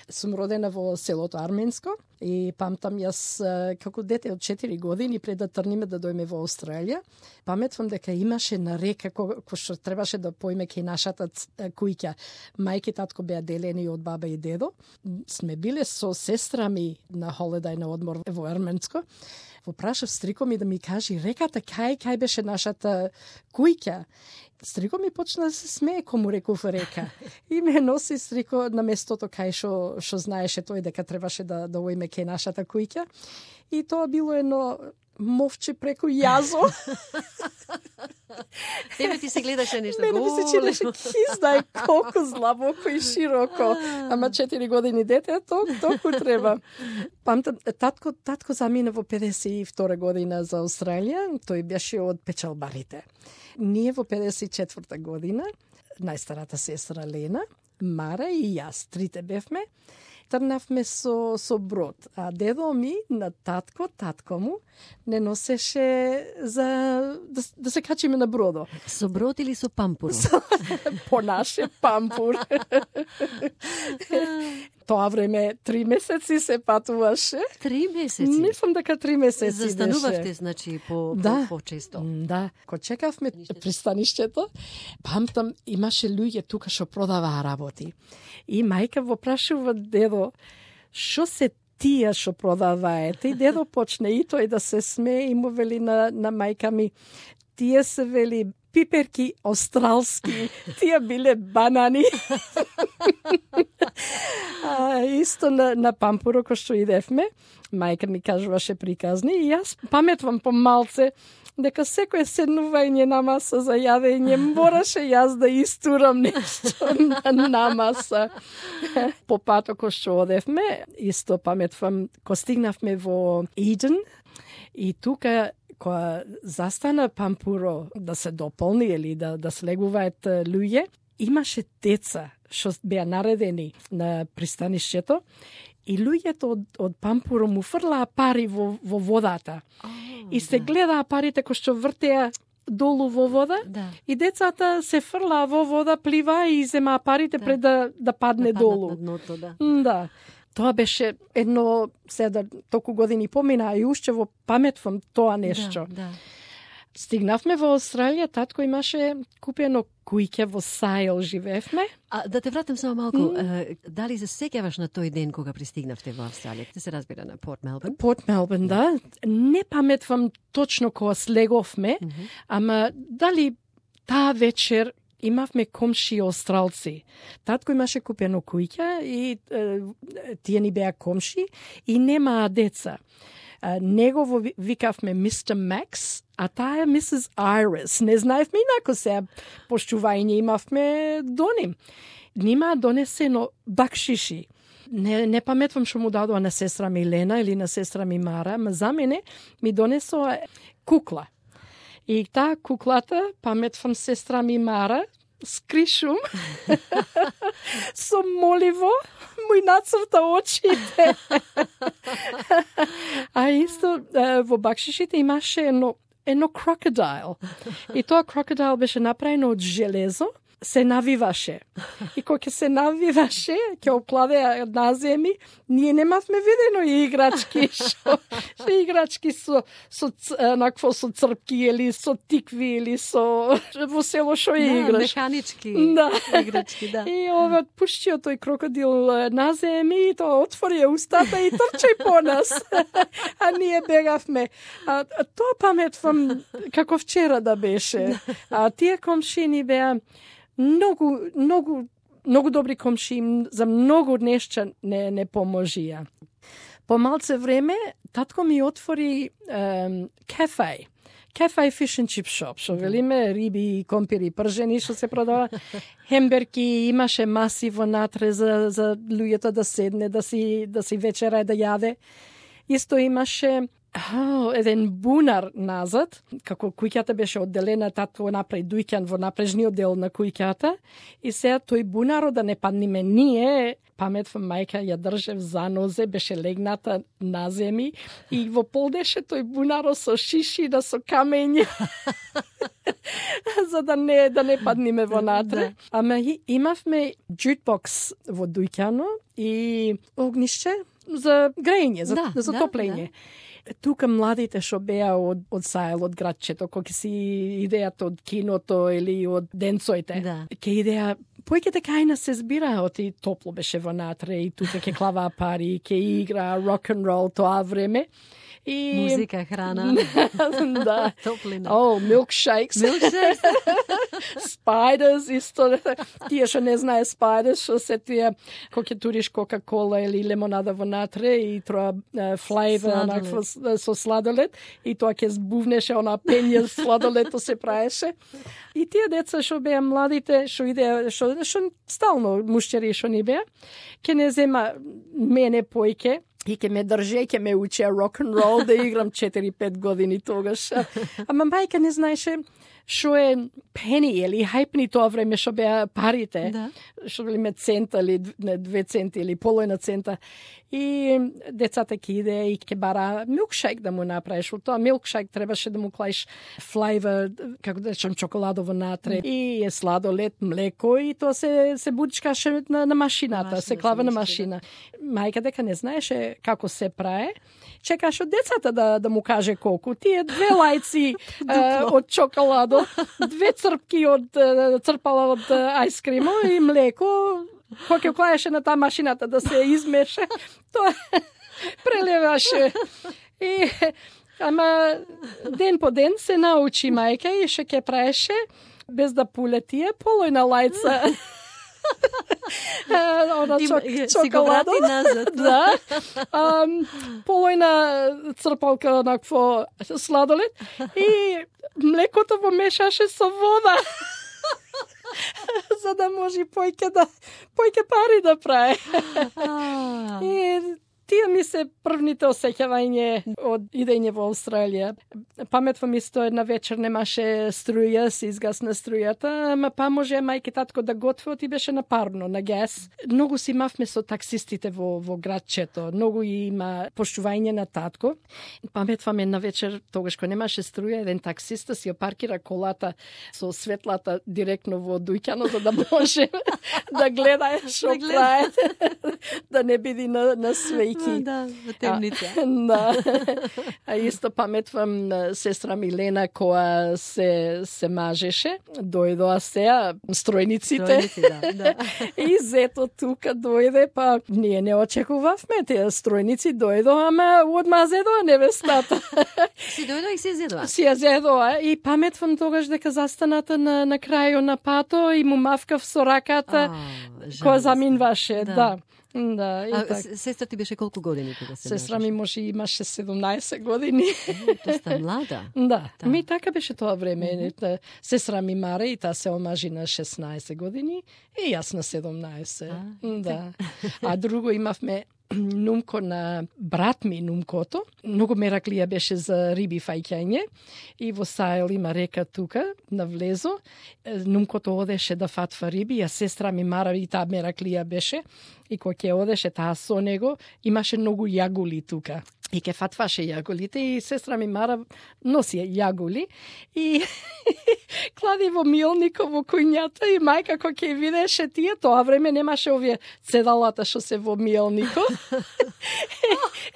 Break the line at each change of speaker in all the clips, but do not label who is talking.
Сум родена во селото Арменско и памтам јас како дете од 4 години пред да тргнеме да дојме во Австралија, паметвам дека имаше на река кој што требаше да поиме кај нашата куќа. Мајки и татко беа делени од баба и дедо. Сме биле со сестра ми на холидај на одмор во Арменско. Во прашав стрико ми да ми кажи реката кај беше нашата куќа. Стрико ми почна да се смее кога му реков река. И ме носи стрико на местото кај што знаеше тој дека требаше да оиме кај нашата куќа. И тоа било едно мовче преку јазо.
Тебе ти се гледаше нешто
големо. Мене ми се чинеше киздај колку злабоко и широко. Ама 4 години дете, толку треба. Памтам, татко замина во 52 година за Австралија. Тој беше од печалбарите. Ние во 54 година, најстарата сестра Лена, Мара и јас, трите бевме, трнавме со брод. А дедо ми на татко му, не носеше за да се качиме на бродо.
Со брод или со пампур?
По наше пампур. Тоа време 3 месеци се патуваше.
3 месеци?
Мислам дека 3 месеци
застанувавте,
беше.
значи, по-често.
Да, кога чекавме пристанишчето, памтам, имаше луѓе тука што продаваа работи. И мајка во прашува дедо, што се тие што продаваете? И дедо почне и тој да се смее и му вели на мајка ми, тие се вели пиперки австралски, тие биле банани. Исто на пампуро кој што идевме, мајка ми кажуваше приказни и јас паметвам помалце дека секој седнување на маса за јадење мораше јас да истурам нешто на маса. По патот кој што одевме, исто паметвам, кога стигнавме во Иден и тука кога застана пампуро да се дополни или да слегуваат луѓе, имаше деца што беа наредени на пристанишчето и луѓето од пампуро му фрлаа пари во водата. И се гледаа парите кои што вртеа долу во вода, и децата се фрлаа во вода, пливаа и земаа парите пред да падне долу.
На дното,
Да. Тоа беше едно, сега толку години помина, и уште во паметвам тоа нешто.
Да.
Стигнавме во Австралија, татко имаше купено куќа во Сајл, живеевме.
А да те вратам само малку, дали се сеќаваш на тој ден кога пристигнавте во Австралија? Те се разбира на Порт Мелбурн?
Порт Мелбурн, да. Не паметвам точно кога слеговме, ама дали таа вечер имавме комши австралци. Татко имаше купено куќа и тие ни беа комши и немаа деца. Негово викавме Мистер Макс, а таа е Мисис Айрис. Не знаевме инако се поштување имавме до ним. Нима донесено бакшиши. Не паметвам што му дадоа на сестра ми Лена или на сестра ми Мара, ма за мене ми донесоа кукла. И таа куклата, паметвам сестра ми Мара, скришум, со моливо, му нацрта очите. А исто во бакшишите имаше едно крокодайл. И тоа крокодайл беше направено од железо, се навиваше. И кога ќе се навиваше, ќе опладеа на земи, ние немавме видено и играчки, што играчки со црпки или со тикви или со во село што играш.
Механички играчки, да.
И ова пуштио тој крокодил на земи и тоа отвори устата и трчај по нас. А ние бегавме. А тоа паметвам како вчера да беше. А тие комшини беа многу добри комши, за многу нешта не поможија. По малце време, татко ми отвори кафе fish and chip shop, што велиме риби, компири, пржени, што се продава, хемберки, имаше маси внатре за луѓето да седне, да си вечера да јаде. Исто имаше еден бунар назад, како куќата беше одделена, татко направи дуќан во напрежниот дел на куќата, и сега тој бунаро да не падниме ние, паметвам мајка ја држев за нозе, беше легната на земи и во полдеше тој бунаро со шишина, со камења, за да не падниме во натре. Ама имавме джутбокс во дуќано и огниште за грејење, за топлење. Тука младите што беа од Сајел, од градчето, кој си идејата од киното или од денцоите, ке идеја појките кајна се збираат и топло беше во натре и тука ке клаваа пари, ке игра рок н рол тоа време. И
музика, храна.
Да.
Топлина.
Milkshakes. Spiders исто. Тие што не знае Spiders, што се тие кога ќе туриш Кока-кола или лимонада во натре и троа флейвер со сладолед и тоа ќе збувнеше она пење сладолето се праеше. И тие деца што беа младите, што идеа, што стално мушчери што ни беа, ќе не зема мене појке и ке ме држе, ке ме учеа рок-н-рол, да играм 4-5 години тогаш. Ама мајка не знаеше што е пени или хајпни тоа време што беа парите, што били цента или 2 центи или половина цента. И децата ке иде и ке бара милкшейк да му направиш. Во тоа милкшейк требаше да му клаиш флейвер, како да речем, чоколадово натре и сладолед, млеко и тоа се бучкаше на машината, се клава на машина. Мајка дека не знаеше како се праe, чекаше од децата да му каже колку. Тие 2 лајци од чоколадо, 2 црпки од црпала од ајскримо и млеко, кој ќе клаеше на таа машината да се измеше, тоа прелеваше. И ама ден по ден се научи мајка и ше ќе праеше без да пуле тие полојна лајца. Она чоколадо
назад.
Да. Полојна црпалка онакво сладолед и млекото го мешаше со вода. За да може појке пари да праe. И тие ми се првните осеќавање од идење во Австралија. Паметвам исто една вечер немаше струја, се изгасна струјата, ама па може мајке татко да готвеот и беше на парно, на гес. Многу си имавме со таксистите во градчето, многу има поштување на татко. Паметвам една вечер, тогаш кога немаше струја, еден таксиста си опаркира колата со светлата директно во дуќано, за да може да гледа што праe, да не биде на свеј.
Да, во темница.
Да. А исто паметвам сестра Милена која се мажеше, дојдоа сеа стројниците.
Да.
И зето тука дојде, па ние не очекувавме, тие стројници дојдоа, ама одма зедоа невестата.
Си дојдоа и се зедоа.
Си ја зедоа и паметвам тогаш дека застаната на крајот на пато и му мавкав со раката која заминваше, да. Да, и така.
Сестра ти беше колку години кога се
Сестра ми може имаше 17 години.
Доста млада.
Да, ми така беше тоа време. Сестра ми Мара и таа се омажи на 16 години и јас на 17. Да. А друго имавме нумко на брат ми, нумкото. Многу мераклија беше за риби фаќање и во Сајел има река тука, на влезо. Нумкото одеше да фатва риби, а сестра ми Мара и таа мераклија беше. И кога ќе одеше таа со него, имаше многу јагули тука. И ке фатваше јаголите и сестра ми Мара носи јаголи и клади во милникот во куњата и мајка кога ќе видеше тие, тоа време немаше овие цедалата што се во милникот.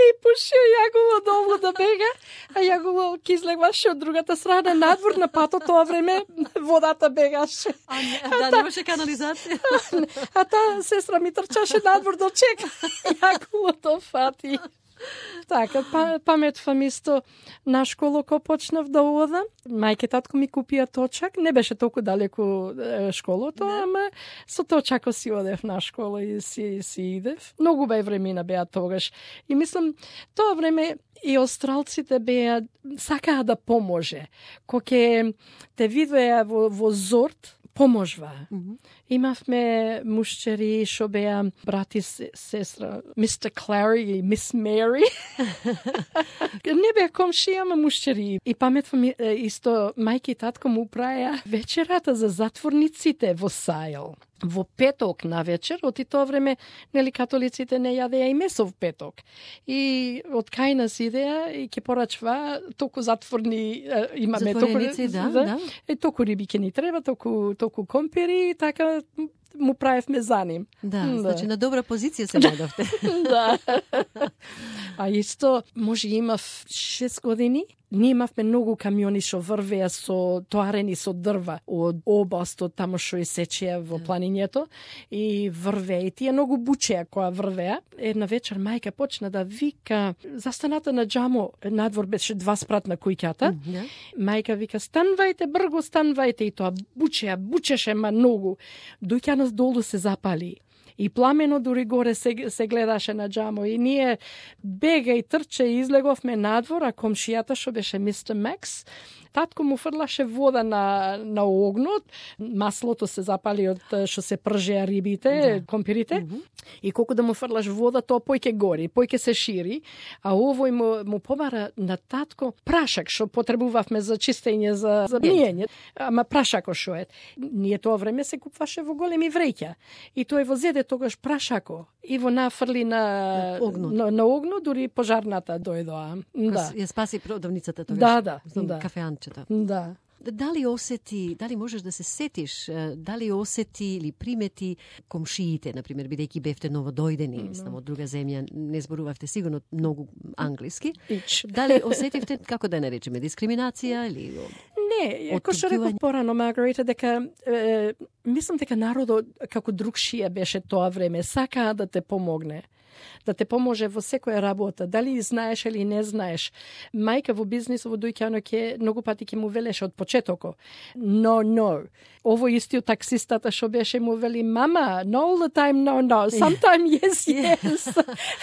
И пуши јаголо долу да бега, а јаголо ќе излегваше од другата страна надвор на патот, тоа време водата бегаше.
Да, немаше канализација.
А таа сестра ми трчаше надвор да чека јаголото фати. Така, паметвам исто на школу кога почнав да одам. Мајке татко ми купија точак, не беше толку далеку школото, ама со точако си одев на школа и си идев. Многу беј времена беа тогаш. И мислам, тоа време и австралците беа, сакаа да поможе. Кога те видеа во зорт, поможва. Имавме мушчери што беа брат и сестра, Mr. Clary и Miss Mary. Не беа комши, ама мушчери. И паметвам исто, мајка и татко му праја вечерата за затворниците во Сајл. Во петок на вечер, од и тоа време, нели, католиците не јадеа и месо во петок. И од кај нас идеа и ќе порачва толку затворни имаме
затвореници, да.
И толку риби ќе ни треба, толку компири и така му правевме за ним.
Да, значи на добра позиција се најдовте.
Да. А исто, може имав 6 години, ние имавме многу камиони што врвеа со тоарени со дрва од областот тамо што и сечеа во планињето и врвеа и тие многу бучеа кога врвеа. Една вечер мајка почна да вика, застаната на џамо, надвор беше 2 спрат на куќата. Мајка вика, станвајте, брго станвајте, и тоа бучеше многу. Дојќа долу се запали. И пламено дури горе се гледаше на џамо. И ние бега и трче и излеговме надвор, а комшијата што беше Mr. Max, татко му фрлаше вода на огнот, маслото се запали од што се пржеа рибите, компирите, и колку да му фрлаш вода, тоа појќе гори, појќе се шири, а овој му побара на татко прашак што потребувавме за чистење, за миење, ама прашако што е. Ние тоа време се купваше во големи вреќа. И тој во зеде тогаш прашако и во нафрли на огнот, дури пожарната дојдоа. Да.
Ја спаси продавницата тогаш.
Да.
Кафеанчето.
Да.
Дали можеш да се сетиш, дали осети или примети комшиите, например, бидејќи бевте новодојдени, мислам, од друга земја, не зборувавте сигурно многу англиски. Дали осетивте, како да наречеме, дискриминација или
Не, како што реков порано, Маргарита, дека мислам дека народот како другшија беше тоа време, сакаа да те помогне. Да те поможе во секоја работа, дали знаеш или не знаеш. Мајка во бизнисот во дојќано ќе многу пати ќе му велеше од почетоко. No. Ово истиот таксистата што беше му вели, мама, no all the time, no. Sometime yes.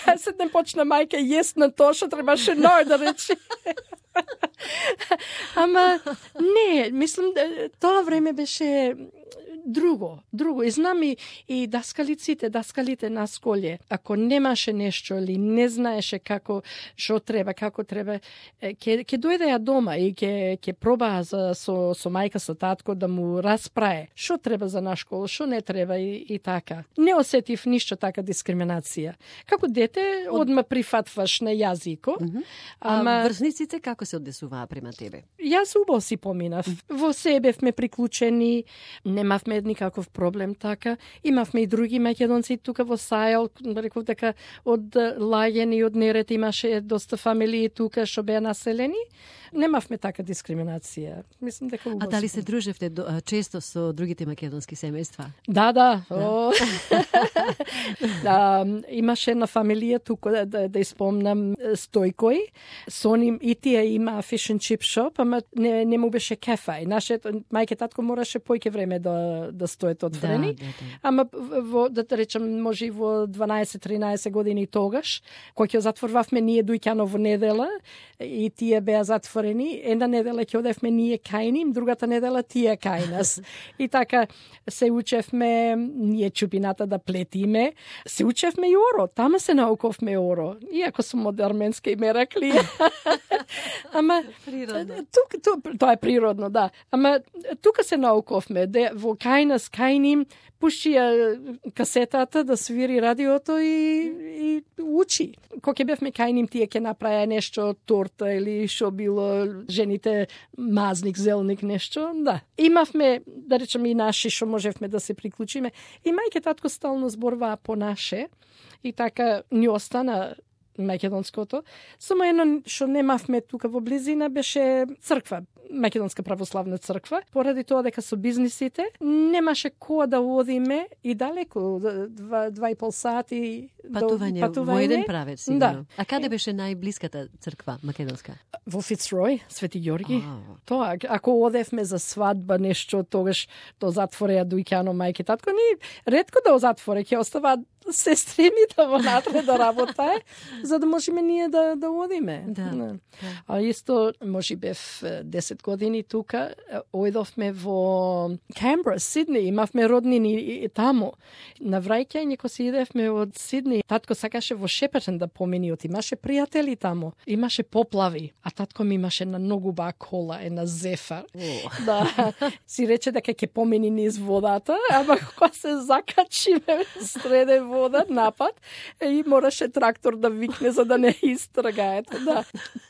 А се не почна мајка yes на тоа што требаше no да рече. Ама не, мислам тоа време беше друго. И знам и даскалите на школе, ако немаше нешто или не знаеше како треба, ќе дојдеа дома и ќе пробаа со мајка, со татко да му распрае што треба за наш школа, што не треба и така. Не осетив ништо така дискриминација. Како дете одма прифатваш на јазико.
Ама врсниците како се однесуваа према тебе?
Јас убаво си поминав. Во себе бевме приклучени, немавме никаков проблем така. Имавме и други македонци тука во Сајл, реков дека од Лајен и од Нерет имаше доста фамилии тука што беа населени. Немавме така дискриминација. Мислам дека убаво.
А дали се дружевте често со другите македонски семејства?
Да. Имаше една фамилија тука, да испомнам, Стојкој. Со ним и тие има fish and chip shop, ама не му беше кефај. Мајке татко мораше појќе време да стојат отворени. Да. Ама да речем, може и во 12-13 години тогаш, кој ќе затворвавме ние дојќано во недела и тие беа затворени. Една недела ќе одевме ние кај ним, другата недела тие кај нас. И така се учевме ние чупината да плетиме, се учевме и оро, тама се науковме оро. Иако сум од арменска име рекли. Ама
природно.
Тоа е природно, да. Ама тука се науковме, во кај ним пушчија касетата да свири радиото и учи. Кога ќе бевме кај ним, тие ќе направеа нешто, торта или што било, жените мазник, зелник, нешто, да. Имавме, да речеме, и наши што можевме да се приклучиме. И мајке татко стално зборваа по наше и така ни остана македонското. Само едно што немавме тука во близина беше црква, Македонска православна црква, поради тоа дека со бизнисите немаше која да одиме и далеко, 2,5 сати
патување. Во еден правец, сигурно. Да. А каде беше најблиската црква македонска?
Во Фицрој, Свети Ѓорги. Тоа, ако одевме за свадба нешто, тогаш до затвореа дојќано мајке татко, ни ретко да затворе, ќе оставаат сестри да вонатре да работае, за да можеме ние да одиме.
Да.
А исто, може бев 10 10 години тука, ојдовме во Камбра, Сидни, имавме роднини таму. На враќање кога си идевме од Сидни, татко сакаше во Шепертон да поминиот, имаше пријатели таму, имаше поплави, а татко ми имаше на многу ба кола, една Зефар. Да, си рече дека ќе помини низ водата, ама кога се закачиме среде вода напад, и мораше трактор да викне за да не истрагаат. Да.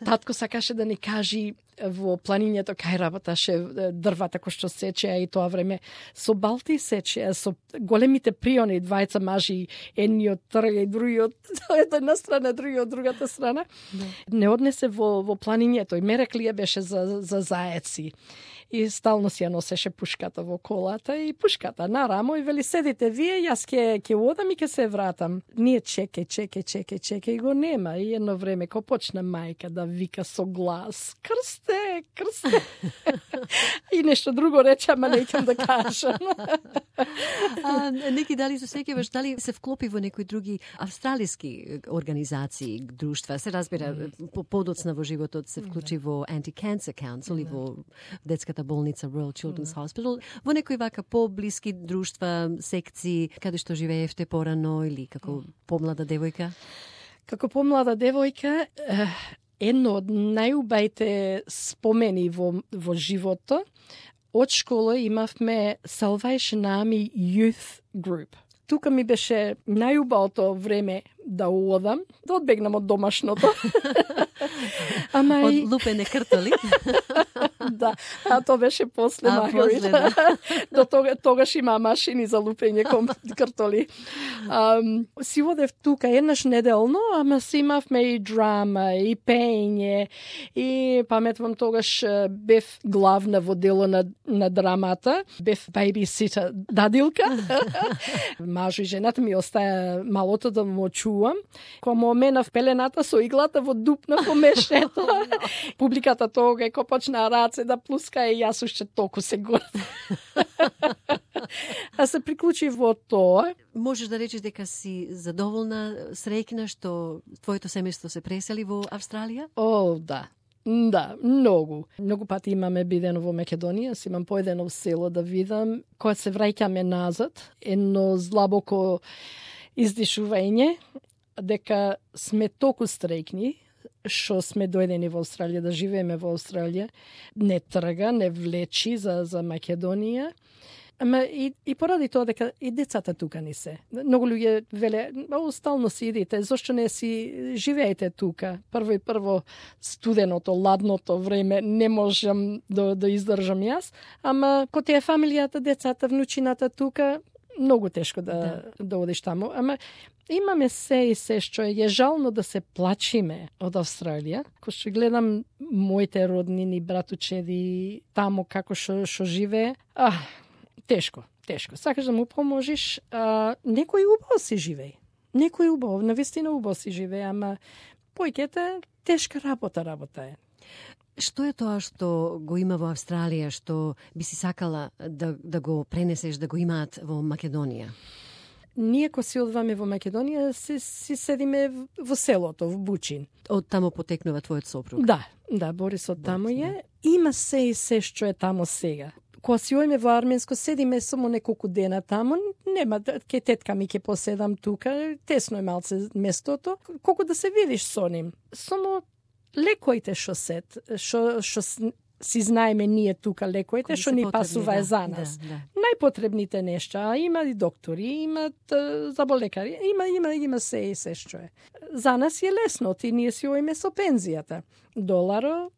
Татко сакаше да ни кажи во планињето кај работаше дрвата кој што сечеа и тоа време со балти сечеа, со големите приони, двајца мажи, едниот трга и другиот од една страна, другиот од другата страна. Не однесе во планињето и мереклија беше за заеци. И стално си ја носеше пушката во колата и пушката на рамо и вели седите вие, јас ќе одам и ќе се вратам. Ние чекај и го нема. И едно време ко почна мајка да вика со глас: крсте. И нешто друго рече, ама не ќе да кажам.
Неки, дали се сеќаваш, дали се вклопи во некои други австралиски организации, друштва? Се разбира, подоцна во животот се вклучи во Anti-Cancer Council и во детската болница Royal Children's Hospital, во некои вака поблиски друштва, секции, каде што живеевте порано или како помлада девојка?
Како помлада девојка, едно од најубајте спомени во животот, од школа имавме Salvation Army Youth Group. Тука ми беше најубавото време да одам, да одбегнам од домашното.
Од лупене картоли.
Да, а тоа беше после Маргарита. До тогаш има машини за лупење картоли. Си одев тука еднаш неделно, ама си имавме и драма, и пење, и паметвам тогаш бев главна во дело на драмата, бев бейбиситер, дадилка. Мажу и жената ми остаја малото да му чувам. Кога му оменав пелената со иглата во дупна во мешето, публиката тога кога почна раце да плуска и јас уште толку се гордам. А се приклучи во тоа.
Можеш да речеш дека си задоволна, среќна што твоето семејство се пресели во Австралија?
О, да. Да, многу. Многу пати имаме бидено во Македонија, си имам поедено в село да видам. Кога се враќаме назад, едно злабоко издишување, дека сме толку среќни, што сме дојдени во Австралија, да живееме во Австралија, не трга, не влечи за Македонија. Ама и поради тоа дека и децата тука не се. Многу луѓе веле, стално си идите, зошто не си живеете тука? Прво студеното, ладното време не можам да издржам јас, ама ко ти е фамилијата, децата, внучината тука, многу тешко да одиш таму. Ама имаме се и се што е жално да се плачиме од Австралија. Ко што гледам моите роднини, братучеди, таму како што живее, тешко. Сакаш да му поможиш, некој убаво си живее. Некој убаво, навистина убаво си живее, ама појкете тешка работа е.
Што е тоа што го има во Австралија, што би си сакала да го пренесеш, да го имаат во Македонија?
Ние ко си одваме во Македонија, си седиме во селото, во Бучин.
Од таму потекнува твојот сопруг?
Да, Борис од таму е. Има се и се што е таму сега. Кога си ојме во Арменско, седиме само неколку дена таму, нема, ке тетка ми ке поседам тука, тесно е малце местото, колку да се видиш со ним. Само лекоите што си знаеме ние тука, лекоите што ни пасува за нас. Да. Најпотребните нешта, има и доктори, имат заболекари, има се и се што е. За нас е лесно, ти ние си ојме со пензијата. $1,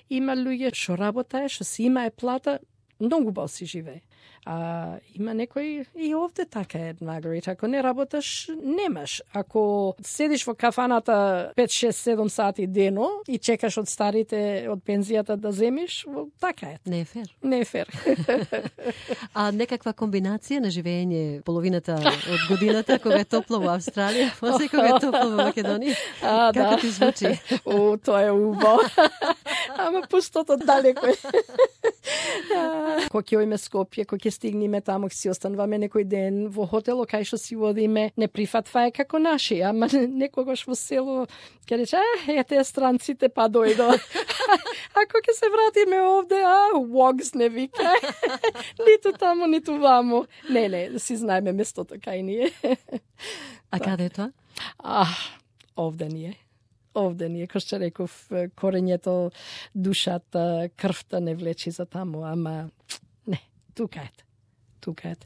има луѓе што работае, што си имае плата, многу бал си живее. А има некој и овде така е, Маргарита, ако не работаш, немаш. Ако седиш во кафаната 5, 6, 7 сати дено и чекаш од старите, од пензијата да земиш, така е.
Не е фер.
Не е фер.
А некаква комбинација на живење половината од годината, кога е топло во Австралија, после кога е топло во Македонија? Како ти звучи?
Тоа е убаво. Ама пустото далеко е. Кога ќе ојме Скопје, кога ќе стигнеме таму, ќе си остануваме некој ден во хотело, кај што си одиме, не прифатва е како наши, ама некогаш во село ќе рече, ете странците па дојдо. Ако ќе се вратиме овде, Wogs не вика. Ниту таму, ниту ваму. Не, си знаеме местото кај ние.
А каде е тоа?
Овде ние. Овде ние, кој што реков, корењето, душата, крвта не влечи за таму, ама не, тука е.